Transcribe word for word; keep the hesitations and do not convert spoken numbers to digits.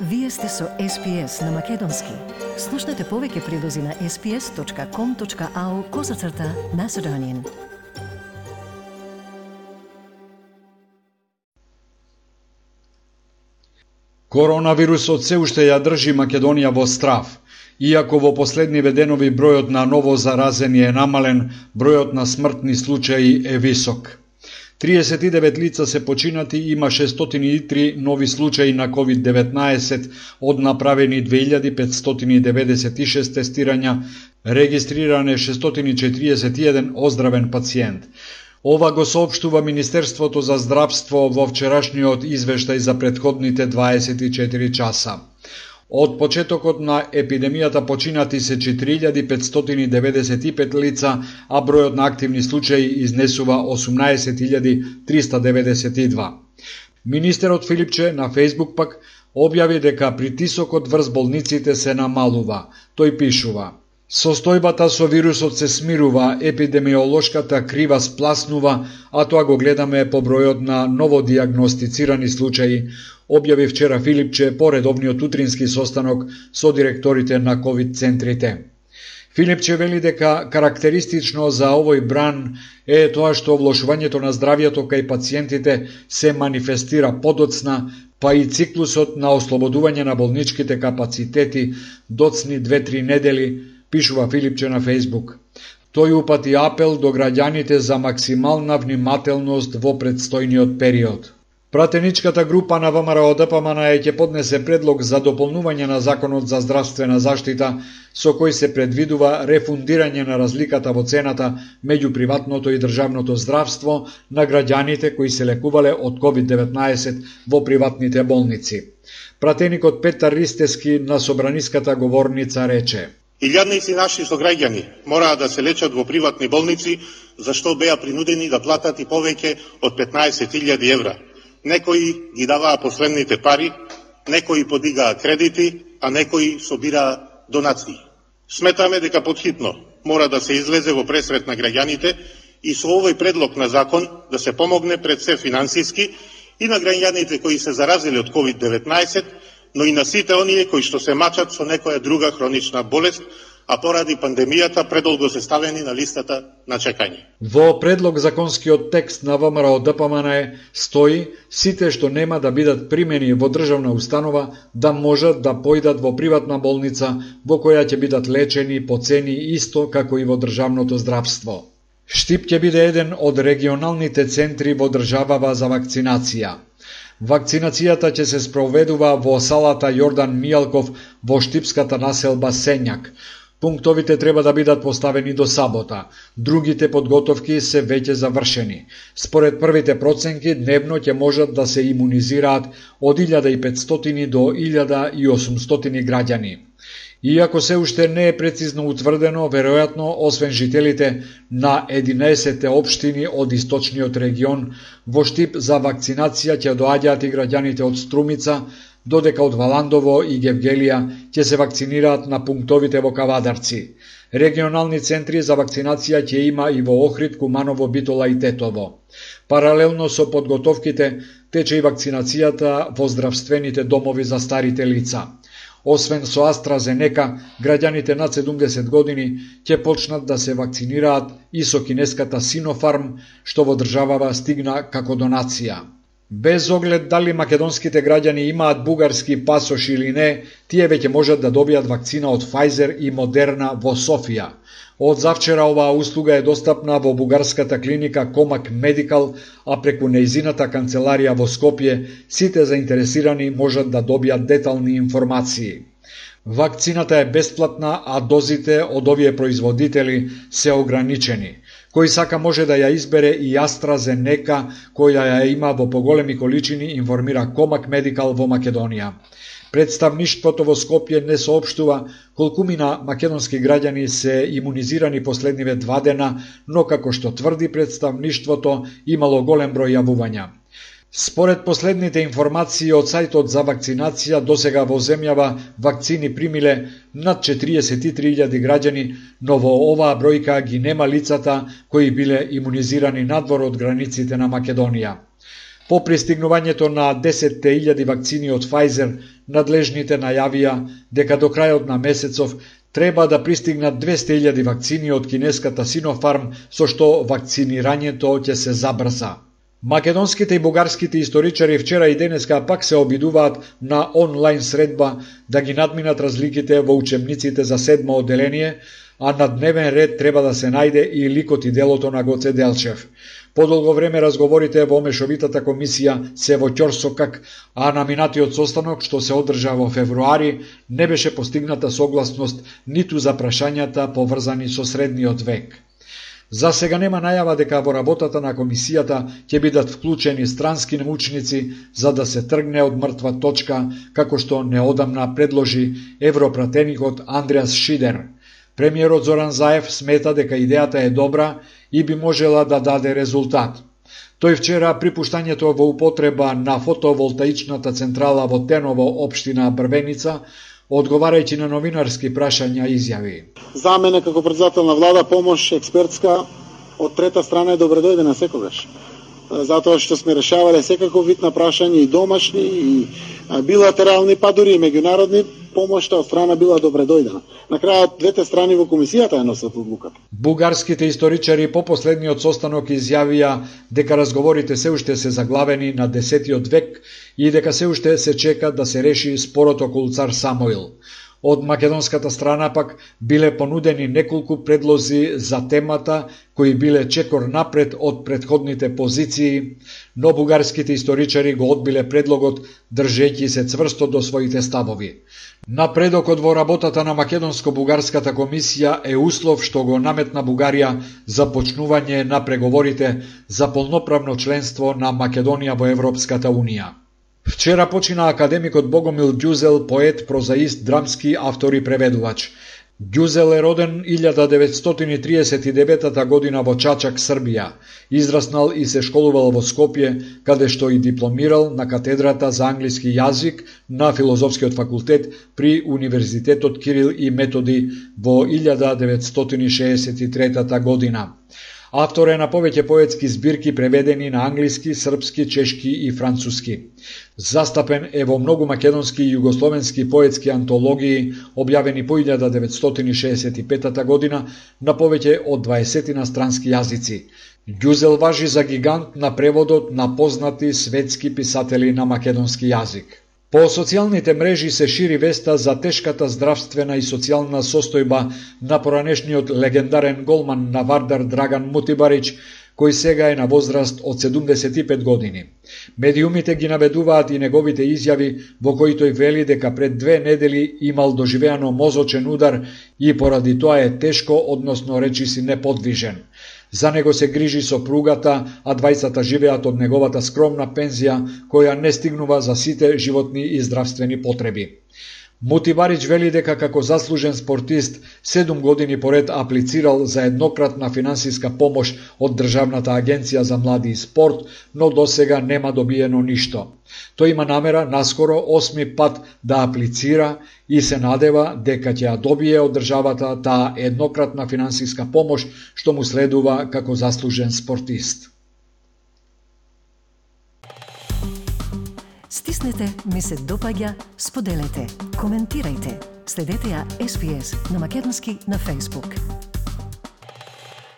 Вие сте со Ес Пи Ес на Македонски. Слушнете повеќе прилози на ес пи ес точка ком точка ау козацрта Macedonian. Коронавирусот се уште ја држи Македонија во страв. Иако во последниве денови бројот на ново заразени е намален, бројот на смртни случаи е висок. триесет и девет лица се починати, има шестстотини и три нови случаи на ковид деветнаесет, од направени две илјади петстотини деветдесет и шест тестирања, регистриране шестстотини четириесет и еден оздравен пациент. Ова го соопштува Министерството за здравство во вчерашниот извештај за претходните дваесет и четири часа. Од почетокот на епидемијата починати се четири илјади петстотини деветдесет и пет лица, а бројот на активни случаи изнесува осумнаесет илјади триста деветдесет и два. Министерот Филипче на Фејсбук пак објави дека притисокот врз болниците се намалува. Тој пишува: Состојбата со вирусот се смирува, епидемиолошката крива спласнува, а тоа го гледаме по бројот на новодиагностицирани случаи, објави вчера Филипче по редовниот утрински состанок со директорите на ковид центрите. Филипче вели дека карактеристично за овој бран е тоа што влошувањето на здравјето кај пациентите се манифестира подоцна, па и циклусот на ослободување на болничките капацитети доцни две-три недели, пишува Филипче на Фејсбук. Тој упати апел до граѓаните за максимална внимателност во предстојниот период. Пратеничката група на Вэ Ем Ар О Д П М Н Е ќе поднесе предлог за дополнување на Законот за здравствена заштита, со кој се предвидува рефундирање на разликата во цената меѓу приватното и државното здравство на граѓаните кои се лекувале од ковид деветнаесет во приватните болници. Пратеникот Петар Ристески на собраниската говорница рече: Илјадници наши сограѓани мораа да се лечат во приватни болници, зашто беа принудени да платат и повеќе од петнаесет илјади евра. Некои ги даваа последните пари, некои подигаа кредити, а некои собираа донации. Сметаме дека потхитно мора да се излезе во пресрет на граѓаните и со овој предлог на закон да се помогне пред се финансиски и на граѓаните кои се заразили од ковид деветнаесет, но и на сите оние кои што се мачат со некоја друга хронична болест, а поради пандемијата предолго се ставени на листата на чекање. Во предлог законскиот текст на Вэ Ем Ар О Д П М Н Е стои сите што нема да бидат примени во државна установа да можат да појдат во приватна болница во која ќе бидат лечени по цени исто како и во државното здравство. Штип ќе биде еден од регионалните центри во државава за вакцинација. Вакцинацијата ќе се спроведува во салата Јордан Мијалков во штипската населба Сењак. Пунктовите треба да бидат поставени до сабота. Другите подготовки се веќе завршени. Според првите проценки, дневно ќе можат да се имунизираат од илјада и петстотини до илјада и осумстотини граѓани. Иако се уште не е прецизно утврдено, веројатно, освен жителите на единаесет општини од источниот регион, во Штип за вакцинација ќе доаѓаат и граѓаните од Струмица, додека од Валандово и Гевгелија ќе се вакцинираат на пунктовите во Кавадарци. Регионални центри за вакцинација ќе има и во Охрид, Куманово, Битола и Тетово. Паралелно со подготовките тече и вакцинацијата во здравствените домови за старите лица. Освен со AstraZeneca, граѓаните над седумдесет години ќе почнат да се вакцинираат и со кинеската Sinopharm, што во државава стигна како донација. Без оглед дали македонските граѓани имаат бугарски пасош или не, тие веќе можат да добијат вакцина од Pfizer и Moderna во Софија. Од завчера оваа услуга е достапна во бугарската клиника Комак Медикал, а преку нејзината канцеларија во Скопје сите заинтересирани можат да добијат детални информации. Вакцината е бесплатна, а дозите од овие производители се ограничени. Кој сака може да ја избере и AstraZeneca, која ја има во поголеми количини, информира Комак Медикал во Македонија. Представништвото во Скопје не соопштува колкумина македонски граѓани се имунизирани последниве два дена, но како што тврди представништвото, имало голем број јавувања. Според последните информации од сајтот за вакцинација, досега во земјава вакцини примиле над четириесет и три илјади граѓани, но во оваа бројка ги нема лицата кои биле имунизирани надвор од границите на Македонија. По пристигнувањето на десет илјади вакцини од Pfizer, надлежните најавија дека до крајот на месецов треба да пристигнат двесте илјади вакцини од кинеската Sinopharm, со што вакцинирањето ќе се забрза. Македонските и бугарските историчари вчера и денеска пак се обидуваат на онлайн средба да ги надминат разликите во учебниците за седмо одделение, а на дневен ред треба да се најде и ликот и делото на Гоце Делчев. Подолго време разговорите во Мешовитата комисија се во ќорсокак, а на минатиот состанок, што се одржа во февруари, не беше постигната согласност ниту за прашањата поврзани со средниот век. За сега нема најава дека во работата на комисијата ќе бидат вклучени странски научници за да се тргне од мртва точка, како што неодамна предложи европратеникот Андреас Шидер. Премиерот Зоран Заев смета дека идејата е добра и би можела да даде резултат. Тој вчера при пуштањето во употреба на фотоволтаичната централа во Теново, општина Брвеница, одговарајќи на новинарски прашања, изјави: За мене како председател на влада помош експертска од трета страна е добредојдена секогаш. Затоа што сме решавале секаков вид на прашања и домашни и билатерални, па дури и меѓународни, помошта од страна била добредојдена. На крајот двете страни во комисијата ја носат одлуката. Бугарските историчари по последниот состанок изјавија дека разговорите се уште се заглавени на десетиот век и дека се уште се чека да се реши спорот околу цар Самуил. Од македонската страна пак биле понудени неколку предлози за темата кои биле чекор напред од претходните позиции, но бугарските историчари го одбиле предлогот држејќи се цврсто до своите ставови. Напредокот во работата на Македонско-бугарската комисија е услов што го наметна Бугарија за почнување на преговорите за полноправно членство на Македонија во Европската унија. Вчера почина академикот Богомил Ѓузел, поет, прозаист, драмски автор и преведувач. Ѓузел е роден илјада деветстотини триесет и девета година во Чачак, Србија. Израснал и се школувал во Скопје, каде што и дипломирал на катедрата за англиски јазик на Филозофскиот факултет при Универзитетот Кирил и Методи во илјада деветстотини шеесет и трета година. Автор е на повеќе поетски збирки преведени на англиски, српски, чешки и француски. Застапен е во многу македонски и југословенски поетски антологии, објавени по илјада деветстотини шеесет и пета година на повеќе од дваесет странски јазици. Ѓузел важи за гигант на преводот на познати светски писатели на македонски јазик. По социјалните мрежи се шири веста за тешката здравствена и социјална состојба на поранешниот легендарен голман на Вардар Драган Мутибарич, кој сега е на возраст од седумдесет и пет години. Медиумите ги наведуваат и неговите изјави во кои тој вели дека пред две недели имал доживеано мозочен удар и поради тоа е тешко, односно речиси неподвижен. За него се грижи сопругата, а двајцата живеат од неговата скромна пензија, која не стигнува за сите животни и здравствени потреби. Мутибарич вели дека како заслужен спортист седум години поред аплицирал за еднократна финансиска помош од Државната агенција за млади и спорт, но досега нема добиено ништо. Тој има намера наскоро осми пат да аплицира и се надева дека ќе ја добие од државата таа еднократна финансиска помош што му следува како заслужен спортист. Стиснете, ми се допаѓа, споделете, коментирајте. Следете ја Ес Би Ес на македонски на Facebook.